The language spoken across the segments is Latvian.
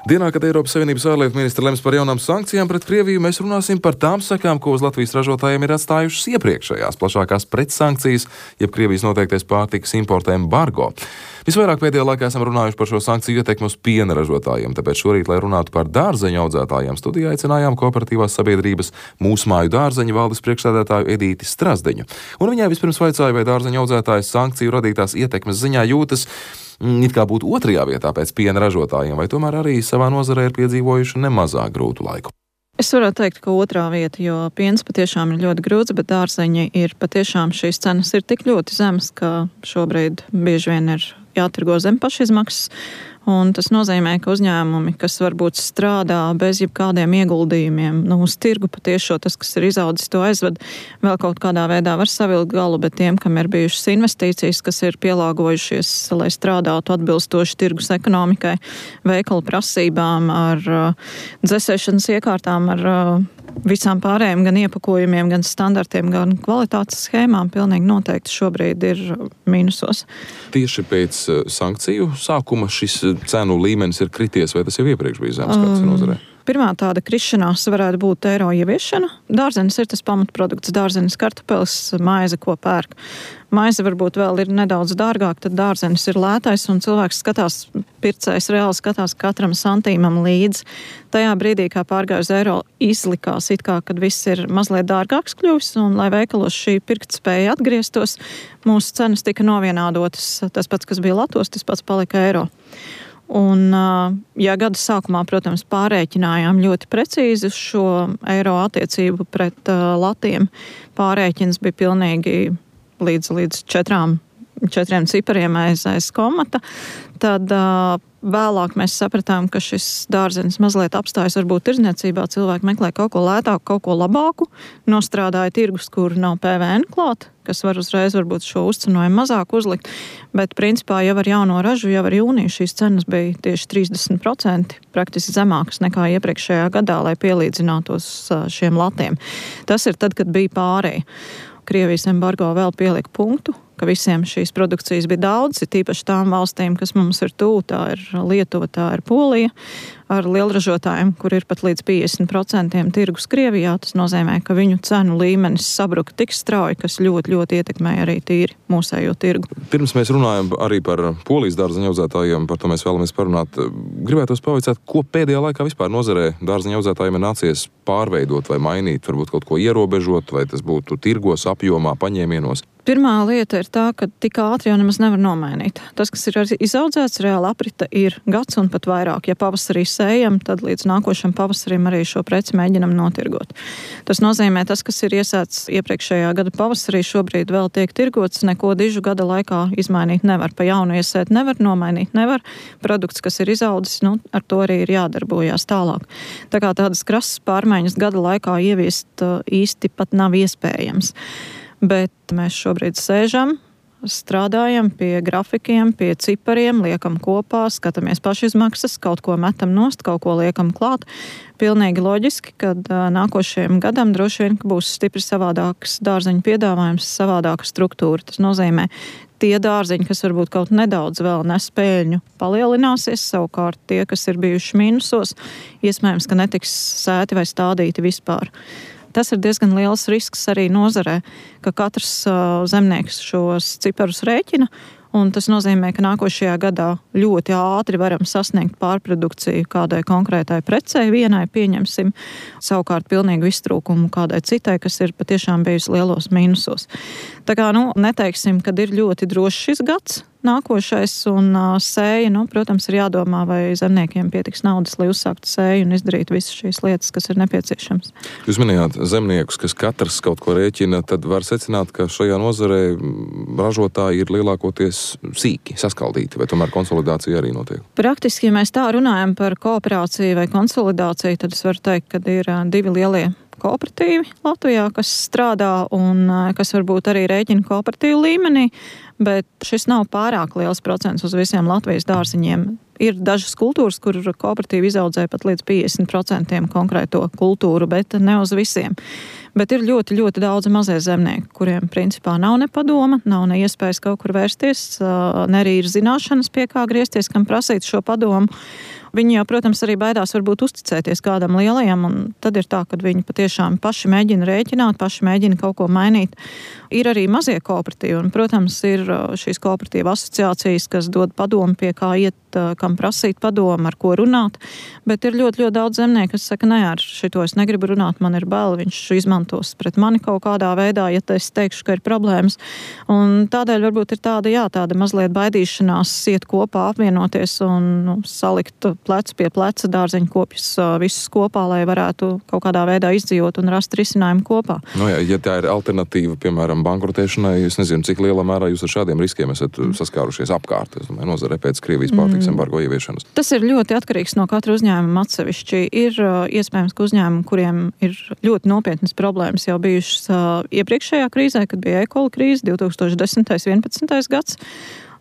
Dienā, kad Eiropas Savienības ārlietu ministra lems par jaunām sankcijām pret Krieviju, mēs runāsim par tām sekām, ko uz Latvijas ražotājiem ir atstājušas iepriekšējās plašākās pretsankcijas, jeb Krievijas noteiktais pārtikas importa embargo. Visvairāk pēdējā laikā esam runājuši par šo sankciju ietekmi uz piena ražotājiem, tāpēc šorīt, lai runātu par dārzeņu audzētājiem, studijā aicinājām kooperatīvās sabiedrības Mūsu māju dārzeņu valdes priekšsēdētāju Edīti Strazdiņu. Un viņai vispirms vaicāja, vai dārzeņu audzētājs sankciju radītās ietekmes ziņā jūtas it kā būtu otrajā vietā pēc piena ražotājiem, vai tomēr arī savā nozarē ir piedzīvojuši nemazāk grūtu laiku. Es varētu teikt, ka otrā vieta, jo piens patiešām ir ļoti grūts, bet dārzeņi ir patiešām šīs cenas ir tik ļoti zemas, ka šobrīd bieži vien ir jātirgo zem pašizmaksas. Un tas nozīmē, ka uzņēmumi, kas varbūt strādā bez jebkādiem ieguldījumiem, uz tirgu patiešo tas, kas ir izaudzis, to aizved, vēl kaut kādā veidā var savilkt galu, bet tiem, kam ir bijušas investīcijas, kas ir pielāgojušies, lai strādātu atbilstoši tirgus ekonomikai, veikalu prasībām, ar dzesēšanas iekārtām, ar visām pārējiem gan iepakojumiem, gan standartiem, gan kvalitātes schēmām, pilnīgi noteikti šobrīd ir mīnusos. Tieši pēc sankciju sākuma šis cenu līmenis ir krities, vai tas jau iepriekš bija zemes kāds nozarē? Pirmā tāda krišanās varētu būt eiro ieviešana. Dārzenis ir tas pamatprodukts, dārzenis, kartupelis, maize, ko pērk. Maize varbūt vēl ir nedaudz dārgāk, tad dārzenis ir lētais un cilvēks skatās, pircējs reāli skatās katram santīmam līdzi. Tajā brīdī, kā pārgāja uz eiro, izlikās it kā, kad viss ir mazliet dārgāks kļuvis un lai veikalos šī pirktspēja atgrieztos, mūsu cenas tika novienādotas. Tas pats, kas bija latos, tas pats palika eiro. Un, ja gada sākumā, protams, pārēķinājām ļoti precīzi šo eiro attiecību pret latiem, pārēķins bija pilnīgi līdz četriem cipariem aiz komata, tad vēlāk mēs sapratām, ka šis dārzenis mazliet apstājas varbūt tirdzniecībā, cilvēki meklē kaut ko lētāku, kaut ko labāku, nostrādāja tirgus, kur nav PVN klāt, kas var uzreiz varbūt šo uzcenojumu mazāk uzlikt, bet principā jau ar jauno ražu, jau ar jūniju šīs cenas bija tieši 30%, praktiski zemākas nekā iepriekšējā gadā, lai pielīdzinātos šiem latiem. Tas ir tad, kad bija pārēja. Krievijas embargo vēl pielika punktu, ka visiem šīs produkcijas bija daudz, ir tīpaši tām valstīm, kas mums ir tuvu, tā ir Lietuva, tā ir Polija, ar lielražotājiem, kur ir pat līdz 50% tirgus Krievijā. Tas nozīmē, ka viņu cenu līmenis sabruka tik strauji, kas ļoti, ļoti ietekmēja arī tīri mūsējo tirgu. Pirms mēs runājam arī par Polijas dārzeņu audzētājiem, par to mēs vēlamies parunāt. Gribētos pavaicāt, ko pēdējā laikā vispār nozarē dārzeņu audzētājiem ir nācies pārveidot vai mainīt, varbūt kaut ko ierobežot, vai tas būtu tirgos, apjomā, paņēmienos. Pirmā lieta ir tā, ka tik ātri jau nemaz nevar nomainīt. Tas, kas ir izaudzēts, reāli aprita ir gads un pat vairāk. Ja pavasarī sējam, tad līdz nākošam pavasarim arī šo preci mēģinam notirgot. Tas nozīmē, tas, kas ir iesēts iepriekšējā gada pavasarī, šobrīd vēl tiek tirgots, neko dižu gada laikā izmainīt nevar. Pa jaunu iesēt nevar, nomainīt nevar. Produkts, kas ir izaudzis, ar to arī ir jādarbojās tālāk. Tā kā tādas krasas pārmaiņas gada laikā ieviest īsti pat nav iespējams. Bet mēs šobrīd sēžam, strādājam pie grafikiem, pie cipariem, liekam kopā, skatāmies pašizmaksas, kaut ko metam nost, kaut ko liekam klāt. Pilnīgi loģiski, kad nākošajam gadam droši vien būs stipri savādāks dārzeņu piedāvājums, savādāka struktūra. Tas nozīmē, tie dārzeņi, kas varbūt kaut nedaudz vēl nes peļņu, palielināsies, savukārt tie, kas ir bijuši mīnusos, iespējams, ka netiks sēti vai stādīti vispār. Tas ir diezgan liels risks arī nozarē, ka katrs zemnieks šos ciparus rēķina, un tas nozīmē, ka nākošajā gadā ļoti ātri varam sasniegt pārprodukciju kādai konkrētai precei, vienai pieņemsim, savukārt pilnīgu iztrūkumu kādai citai, kas ir patiešām bijusi lielos mīnusos. Tā kā, neteiksim, kad ir ļoti drošs šis gads, nākošais un sēja, protams, ir jādomā, vai zemniekiem pietiks naudas, lai uzsāktu sēju un izdarītu visas šīs lietas, kas ir nepieciešams. Jūs minējāt zemniekus, kas katrs kaut ko rēķina, tad var secināt, ka šajā nozarē ražotāji ir lielākoties sīki, saskaldīti, vai tomēr konsolidācija arī notiek? Praktiski, ja mēs tā runājam par kooperāciju vai konsolidāciju, tad es varu teikt, ka ir divi lielie kooperatīvi Latvijā, kas strādā un kas varbūt arī rēķina kooperatīvu līmenī, bet šis nav pārāk liels procents uz visiem Latvijas dārziņiem. Ir dažas kultūras, kur kooperatīvi izaudzē pat līdz 50% konkrēto kultūru, bet ne uz visiem. Bet ir ļoti, ļoti daudz mazie zemnieki, kuriem principā nav ne padoma, nav ne iespējas kaut kur vērsties, ne arī ir zināšanas, pie kā griezties, kam prasīt šo padomu. Viņi jau, protams, arī baidās varbūt uzticēties kādam lielajam, un tad ir tā, ka viņi patiešām paši mēģina rēķināt, paši mēģina kaut ko mainīt. Ir arī mazie kooperatīvi, un, protams, ir šīs kooperatīva asociācijas, kas dod padomu, pie kā iet, kam prasīt padomu, ar ko runāt, bet ir ļoti, ļoti daudz zemnieku, kas saka, nē, ar šito es negribu runāt, man ir bail, viņš izmantos pret mani kaut kādā veidā, ja es teikšu, ka ir problēmas. Un tādēļ varbūt ir tāda mazliet baidīšanās iet kopā, apvienoties un salikt plecu pie pleca dārzeņu kopjus visus kopā, lai varētu kaut kādā veidā izdzīvot un rast risinājumu kopā. Ja tā ir alternatīva, piemēram, bankrotēšanai, es nezinu, cik lielā mērā jūs ar šādiem riskiem esat saskārušies apkārt, es domāju, nozare pēc Krievijas pārtikas embargo ieviešanas. Tas ir ļoti atkarīgs no katra uzņēmuma atsevišķi. Ir iespējams, ka uzņēmumi, kuriem ir ļoti nopietnas problēmas jau bijušas iepriekšējā krīzē, kad bija e-kola krīze 2010. 11. gads.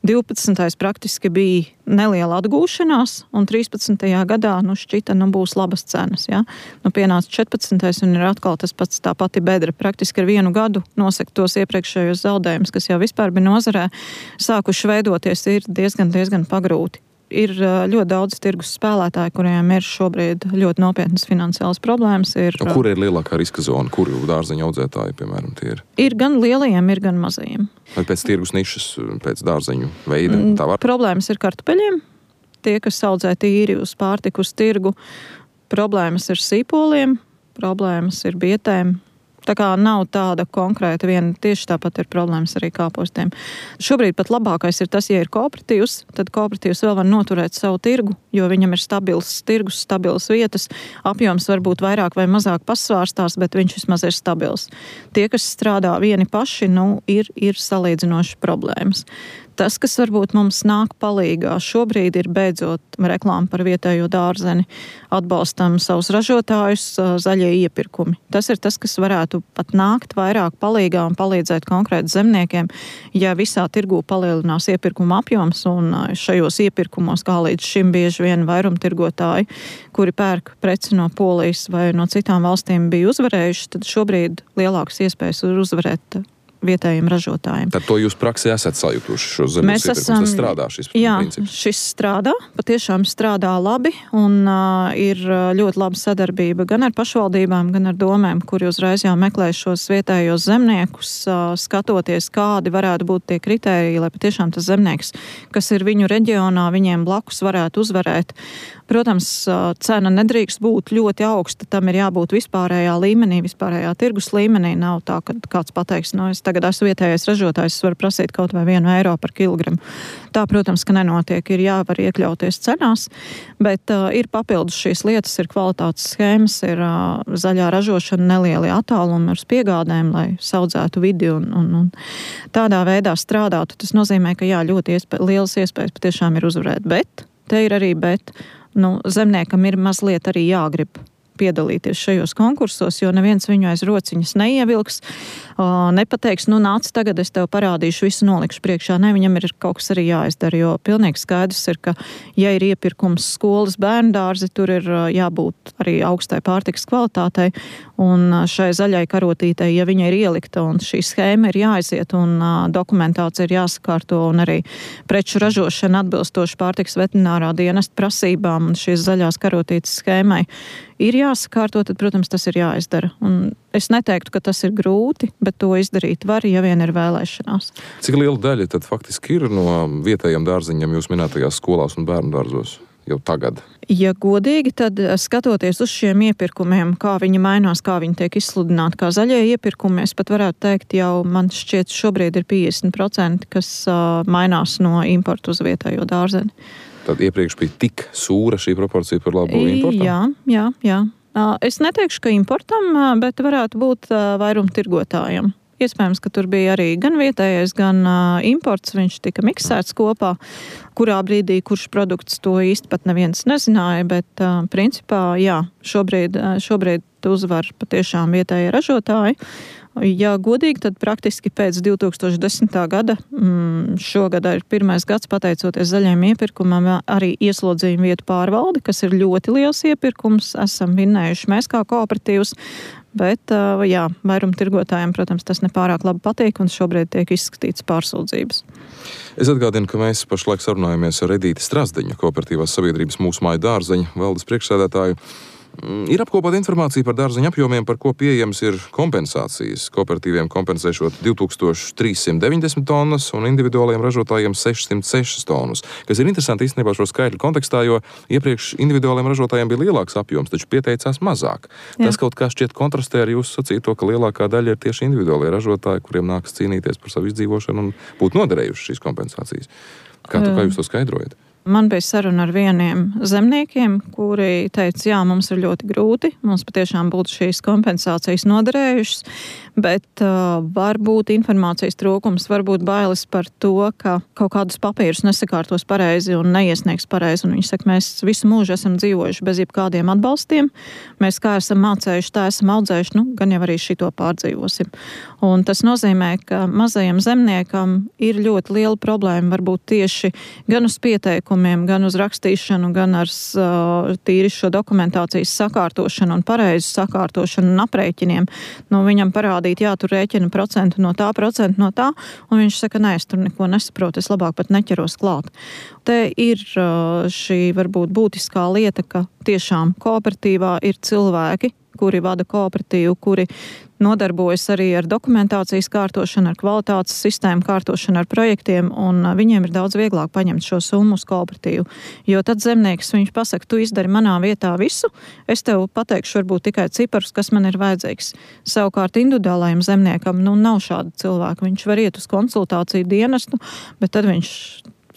12. praktiski bija neliela atgūšanās, un 13. gadā šķita, būs labas cenas. Ja? Pienāca 14. un ir atkal tas pats tā pati bedra. Praktiski ar vienu gadu nosekt tos iepriekšējos zaudējumus, kas jau vispār bija nozarē, sākuši veidoties, ir diezgan pagrūti. Ir ļoti daudz tirgus spēlētāji, kuriem ir šobrīd ļoti nopietnas finansiālas problēmas. Kur ir lielākā riska zona? Kur dārzeņu audzētāji, piemēram, tie ir? Ir gan lielajiem, ir gan mazajiem. Vai pēc tirgus nišas, pēc dārzeņu veida? Problēmas ir kartupeļiem. Tie, kas audzē tīri uz pārtiku, uz tirgu. Problēmas ir sīpoliem, problēmas ir bietēm. Tā kā nav tāda konkrēta viena, tieši tāpat ir problēmas arī kāpostiem. Šobrīd pat labākais ir tas, ja ir kooperatīvs, tad kooperatīvs vēl var noturēt savu tirgu, jo viņam ir stabils tirgus, stabilas vietas, apjoms varbūt vairāk vai mazāk pasvārstās, bet viņš vismaz ir stabils. Tie, kas strādā vieni paši, ir salīdzinoši problēmas. Tas, kas varbūt mums nāk palīgā šobrīd, ir beidzot reklāma par vietējo dārzeni, atbalstam savus ražotājus, zaļie iepirkumi. Tas ir tas, kas varētu pat nākt vairāk palīgā un palīdzēt konkrēti zemniekiem, ja visā tirgū palielinās iepirkuma apjoms, un šajos iepirkumos, kā līdz šim bieži vien vairumtirgotāji, kuri pērk preci no Polijas vai no citām valstīm bija uzvarējuši, tad šobrīd lielākas iespējas ir uzvarēt vietējiem ražotājiem. Tad to jūs praksē esat sajutuši šos zemes iepirkumus? Tas strādā šis princips? Jā, šis strādā, patiešām strādā labi, un ir ļoti laba sadarbība gan ar pašvaldībām, gan ar domēm, kuri uzreiz jau meklē šos vietējos zemniekus, skatoties, kādi varētu būt tie kritēriji, lai patiešām tas zemnieks, kas ir viņu reģionā, viņiem blakus varētu uzvarēt. Protams, cena nedrīkst būt ļoti augsta, tam ir jābūt vispārējā līmenī, vispārējā tirgus līmenī. Nav tā, ka kāds pateiks, es tagad esmu vietējais ražotājs, es varu prasīt kaut vai 1 eiro par kilogramu. Tā, protams, ka nenotiek, ir jāvar iekļauties cenās, bet ir papildus šīs lietas, ir kvalitātes schēmas, ir zaļā ražošana, nelieli attālumi uz piegādēm, lai saudzētu vidi un tādā veidā strādātu. Tas nozīmē, ka ļoti lielas iespējas patiešām ir uzvarēt, bet te ir arī zemniekam ir mazliet arī jāgrib piedalīties šajos konkursos, jo neviens viņu aiz rociņas neievilks, nepateiks, nāc tagad, es tev parādīšu, visu nolikšu priekšā. Ne, viņam ir kaut kas arī jāizdara, jo pilnīgi skaidrs ir, ka, ja ir iepirkums skolas bērndārzi, tur ir jābūt arī augstai pārtikas kvalitātei, un šai zaļai karotītei, ja viņa ir ielikta, un šī schēma ir jāaiziet, un dokumentācija ir jāsakārto, un arī preču ražošana atbilstoši pārtikas veterinārā dienesta prasībām, un šīs zaļās karotītes schēmai ir jāsakārto, tad, protams, tas ir jāizdara. Un es neteiktu, ka tas ir grūti, bet to izdarīt var, ja vien ir vēlēšanās. Cik liela daļa tad faktiski ir no vietējiem dārziņiem jūs minētajās skolās un bērnu dārzos jau tagad? Ja godīgi, tad skatoties uz šiem iepirkumiem, kā viņi mainās, kā viņi tiek izsludināti kā zaļie iepirkumi, es pat varētu teikt, jau man šķiet šobrīd ir 50%, kas mainās no importu uz vietējo dārzeni. Tad iepriekš bija tik sūra šī proporcija par labu importam? Jā. Es neteikšu, ka importam, bet varētu būt vairumtirgotājiem. Iespējams, ka tur bija arī gan vietējais, gan imports, viņš tika miksēts kopā, kurā brīdī, kurš produkts to īsti pat neviens nezināja, bet principā, jā, šobrīd uzvar patiešām vietējie ražotāji. Ja godīgi, tad praktiski pēc 2010. gada, šogad ir pirmais gads, pateicoties zaļajiem iepirkumam, arī ieslodzījuma vietu pārvalde, kas ir ļoti liels iepirkums, esam vinnējuši mēs kā kooperatīvs, bet vairumtirgotājiem, protams, tas nepārāk labi patīk un šobrīd tiek izskatīts pārsūdzības. Es atgādinu, ka mēs pašlaik sarunājamies ar Edīti Strazdeiņu, Kooperatīvās sabiedrības Mūsu māju dārzeņu valdes priekšsēdētāju. Ir apkopota informācija par dārzeņu apjomiem, par ko pieejams ir kompensācijas. Kooperatīviem kompensēšot 2390 tonnas un individuālajiem ražotājiem 606 tonnas. Kas ir interesanti īstenībā šo skaitļu kontekstā, jo iepriekš individuālajiem ražotājiem bija lielāks apjoms, taču pieteicās mazāk. Jā. Tas kaut kā šķiet kontrastē ar jūsu sacīto, ka lielākā daļa ir tieši individuālie ražotāji, kuriem nākas cīnīties par savu izdzīvošanu un būtu noderējuši šīs kompensācijas. Kā jūs to skaidrojat? Man bija saruna ar vieniem zemniekiem, kuri teica, jā, mums ir ļoti grūti, mums patiešām būtu šīs kompensācijas noderējušas, bet varbūt informācijas trūkums, varbūt bailes par to, ka kaut kādus papīrus nesakārtos pareizi un neiesniegs pareizi. Un viņi saka, mēs visu mūžu esam dzīvojuši bez jebkādiem atbalstiem, mēs kā esam mācējuši, tā esam audzējuši, gan jau arī šito pārdzīvosim. Un tas nozīmē, ka mazajam zemniekam ir ļoti liela problēma varbūt tieši gan uz pieteikumu, gan uz rakstīšanu, gan ar tīri šo dokumentācijas sakārtošanu un pareizu sakārtošanu un aprēķiniem. Viņam parādīt, jā, tur rēķina procentu no tā, un viņš saka, nē, es tur neko nesaprotu, es labāk pat neķeros klāt. Te ir šī varbūt būtiskā lieta, ka tiešām kooperatīvā ir cilvēki, kuri vada kooperatīvu, kuri nodarbojas arī ar dokumentācijas kārtošanu, ar kvalitātes sistēmu kārtošanu, ar projektiem, un viņiem ir daudz vieglāk paņemt šo summu uz kooperatīvu. Jo tad zemnieks, viņš pasaka, tu izdari manā vietā visu, es tev pateikšu varbūt tikai ciparus, kas man ir vajadzīgs. Savukārt individuālajiem zemniekam, nav šāda cilvēka. Viņš var iet uz konsultāciju dienestu, bet tad viņš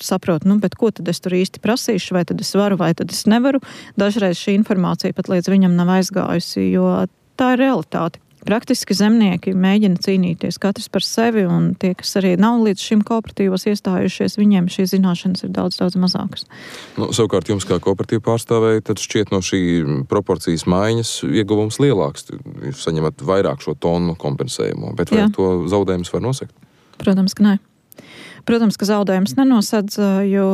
saprot, bet ko tad es tur īsti prasīšu, vai tad es varu, vai tad es nevaru. Dažreiz šī informācija pat līdz viņam nav aizgājusi, jo tā ir realitāte. Praktiski zemnieki mēģina cīnīties katrs par sevi, un tie, kas arī nav līdz šim kooperatīvos iestājušies, viņiem šīs zināšanas ir daudz mazākas. Savukārt jums kā kooperatīva pārstāvēji, tad šķiet no šī proporcijas maiņas ieguvums lielāks. Jūs saņemat vairāk šo tonu kompensējumu, bet vai to zaudējumus var nosegt? Protams, ka nē. Protams, ka zaudējums nenosedz, jo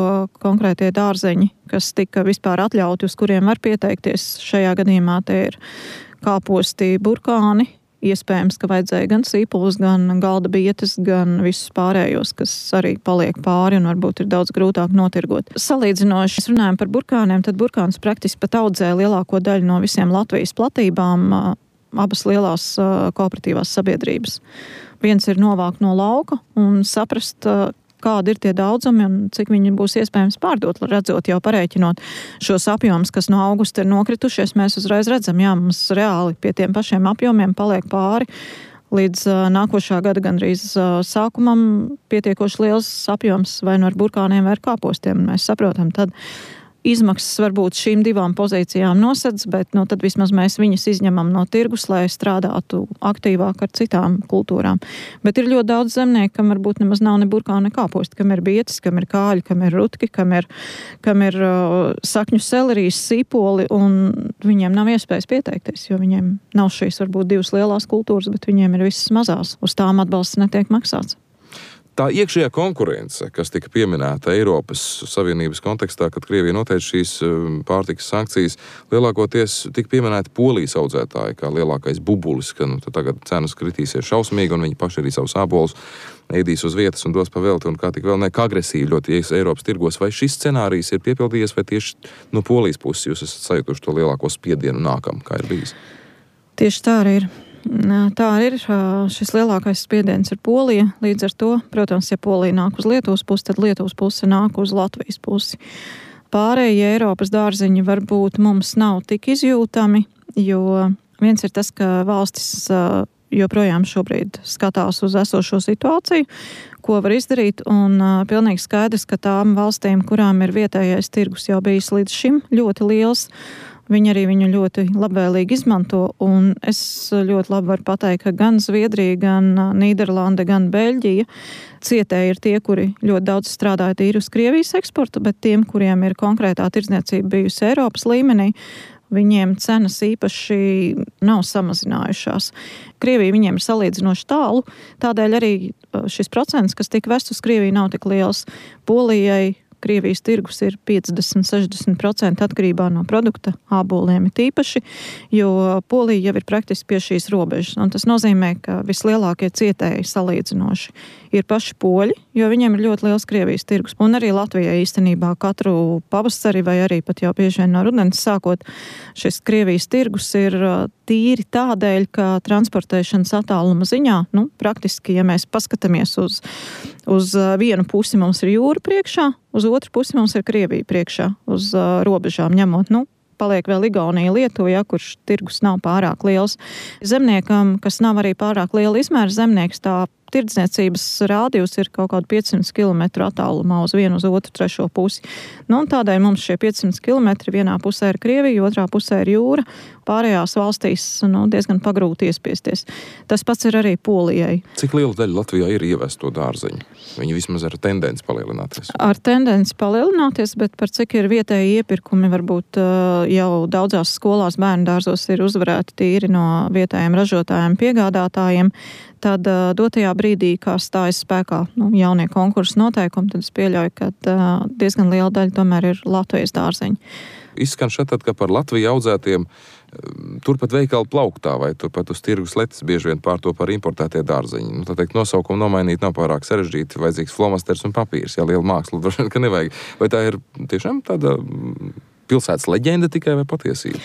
konkrētie dārzeņi, kas tika vispār atļauti, uz kuriem var pieteikties, šajā gadījumā te ir kāposti, burkāni. Iespējams, ka vajadzēja gan sīpulus, gan galda bietes, gan visus pārējos, kas arī paliek pāri un varbūt ir daudz grūtāk notirgot. Salīdzinoši, mēs runājam par burkāniem, tad burkāns praktiski pat audzē lielāko daļu no visiem Latvijas platībām, abas lielās kooperatīvās sabiedrības. Viens ir novākt no lauka un saprast, kādi ir tie daudzumi un cik viņi būs iespējams pārdot, redzot jau parēķinot šos apjomus, kas no augusta ir nokritušies, mēs uzreiz redzam, jā, mums reāli pie tiem pašiem apjomiem paliek pāri līdz nākošā gada gandrīz sākumam pietiekoši liels apjoms vai no ar burkāniem vai ar kāpostiem. Mēs saprotam, tad izmaksas varbūt šīm divām pozīcijām nosedz, bet tad vismaz mēs viņas izņemam no tirgus, lai strādātu aktīvāk ar citām kultūrām. Bet ir ļoti daudz zemnieku, kam varbūt nemaz nav ne burkāni, ne kāposti, kam ir bietis, kam ir kāļi, kam ir rutki, kam ir sakņu selerijas, sīpoli, un viņiem nav iespējas pieteikties, jo viņiem nav šīs varbūt divas lielās kultūras, bet viņiem ir visas mazās. Uz tām atbalsts netiek maksāts. Tā iekšējā konkurence, kas tika pieminēta Eiropas Savienības kontekstā, kad Krievija noteica šīs pārtikas sankcijas, lielākoties tika pieminēta Polijas audzētāji kā lielākais bubulis, ka tagad cenas kritīsies šausmīgi un viņi paši arī savus ābolus ēdīs uz vietas un dos pa velti un kā tik vēl kā agresīvi ļoti ies Eiropas tirgos. Vai šis scenārijs ir piepildījies vai tieši no Polijas puses jūs esat sajutuši to lielāko spiedienu nākam, kā ir bijis? Tieši tā arī ir. Tā ir, šis lielākais spiediens ir Polija, līdz ar to, protams, ja Polija nāk uz Lietuvas pusi, tad Lietuvas puse nāk uz Latvijas pusi. Pārējie Eiropas dārziņi varbūt mums nav tik izjūtami, jo viens ir tas, ka valstis joprojām šobrīd skatās uz esošo situāciju, ko var izdarīt, un pilnīgi skaidrs, ka tām valstīm, kurām ir vietējais tirgus jau bijis līdz šim ļoti liels, viņi arī viņu ļoti labvēlīgi izmanto, un es ļoti labi varu pateikt, ka gan Zviedrija, gan Nīderlande, gan Beļģija cietēji ir tie, kuri ļoti daudz strādāja tīri uz Krievijas eksportu, bet tiem, kuriem ir konkrētā tirdzniecība bijusi Eiropas līmenī, viņiem cenas īpaši nav samazinājušās. Krievija viņiem ir salīdzinoši tālu, tādēļ arī šis procents, kas tika vests uz Krieviju, nav tik liels. Polijai, Krievijas tirgus ir 50-60% atkarībā no produkta, āboliem ir īpaši, jo Polija jau ir praktiski pie šīs robežas. Un tas nozīmē, ka vislielākie cietēji salīdzinoši ir paši poļi, jo viņiem ir ļoti liels Krievijas tirgus. Un arī Latvijai īstenībā katru pavasari vai arī pat jau bieži vien no rudens sākot, šis Krievijas tirgus ir tīri tādēļ, ka transportēšanas attāluma ziņā, praktiski, ja mēs paskatāmies uz vienu pusi mums ir jūra priekšā, uz otru pusi mums ir Krievija priekšā, uz robežām ņemot, paliek vēl Igaunija, Lietuva, kurš tirgus nav pārāk liels. Zemniekam, kas nav arī pārāk liela izmēra zemnieks, tā tirdzniecības rādījus ir kaut kādu 500 km attālumā uz vienu, uz otru, trešo pusi. Un tādēļ mums šie 500 km vienā pusē ir Krievija, otrā pusē ir jūra. Pārējās valstīs diezgan pagrūti iespiesties. Tas pats ir arī Polijai. Cik liela daļa Latvijā ir ievesto dārzeņu? Viņi vismaz ar tendenci palielināties. Ar tendenci palielināties, bet par cik ir vietēji iepirkumi, varbūt jau daudzās skolās bērnu dārzos ir uzvarēti tīri no vietējiem ražotājiem, piegādātājiem. Tad dotajā brīdī, kā stājas spēkā jaunie konkursu noteikumi, tad es pieļauju, ka diezgan liela daļa tomēr ir Latvijas dārzeņi. Izskan šeit, ka par Latviju audzētiem turpat veikalu plauktā vai turpat uz tirgus letes bieži vien pārto par importētie dārzeņi. Tā teikt, nosaukumu nomainīt nav pārāk sarežģīti, vajadzīgs flomasters un papīrs, liela māksla, droši vien, ka nevajag. Vai tā ir tiešām tāda pilsētas leģenda tikai vai patiesība?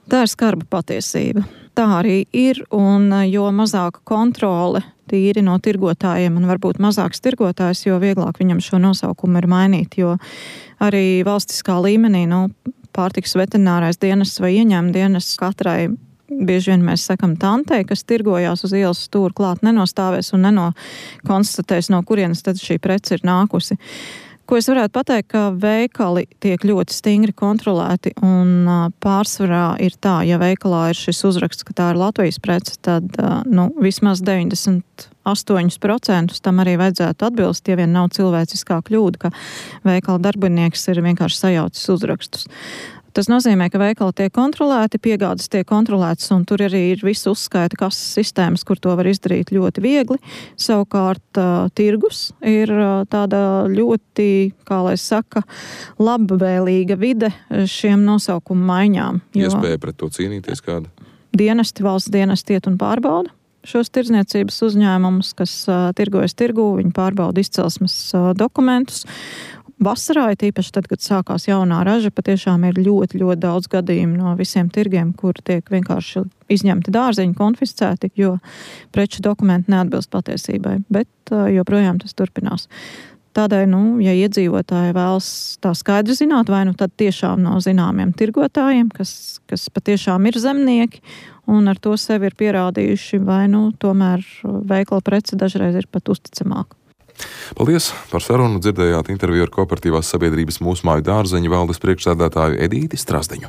Tā ir skarba patiesība. Tā arī ir, un jo mazāka kontrole tīri no tirgotājiem un varbūt mazāks tirgotājs, jo vieglāk viņam šo nosaukumu ir mainīt, jo arī valstiskā līmenī, pārtikas veterinārais dienests vai ieņēmuma dienests katrai, bieži vien mēs sakam tantei, kas tirgojās uz ielas stūra klāt, nenostāvēs un nenokonstatēs, no kurienes tad šī prece ir nākusi. Ko es varētu pateikt, ka veikali tiek ļoti stingri kontrolēti un pārsvarā ir tā, ja veikalā ir šis uzraksts, ka tā ir Latvijas prece, tad vismaz 98% tam arī vajadzētu atbilst, ja vien nav cilvēciskā kļūda, ka veikala darbinieks ir vienkārši sajaucis uzrakstus. Tas nozīmē, ka veikali tiek kontrolēti, piegādes tiek kontrolētas, un tur arī ir visu uzskaita kases sistēmas, kur to var izdarīt ļoti viegli. Savukārt tirgus ir tāda ļoti, kā lai saka, labvēlīga vide šiem nosaukumu maiņām. Iespēja pret to cīnīties kāda? Valsts dienesti iet un pārbauda šos tirdzniecības uzņēmumus, kas tirgojas tirgū, viņi pārbauda izcelsmes dokumentus. Vasarā, tīpaši tad, kad sākās jaunā raža, patiešām ir ļoti, ļoti daudz gadījumu no visiem tirgiem, kur tiek vienkārši izņemti dārzeņi, konfiscēti, jo preču dokumenti neatbilst patiesībai, bet joprojām tas turpinās. Tādēļ, ja iedzīvotāji vēlas tā skaidri zināt, vai tad tiešām no zināmiem tirgotājiem, kas patiešām ir zemnieki, un ar to sevi ir pierādījuši, vai tomēr veikala prece dažreiz ir pat uzticamāka. Paldies par sarunu. Dzirdējāt interviju ar Kooperatīvās sabiedrības Mūsu māju dārzeņu valdes priekšsēdētāju Edīti Strazdeņu.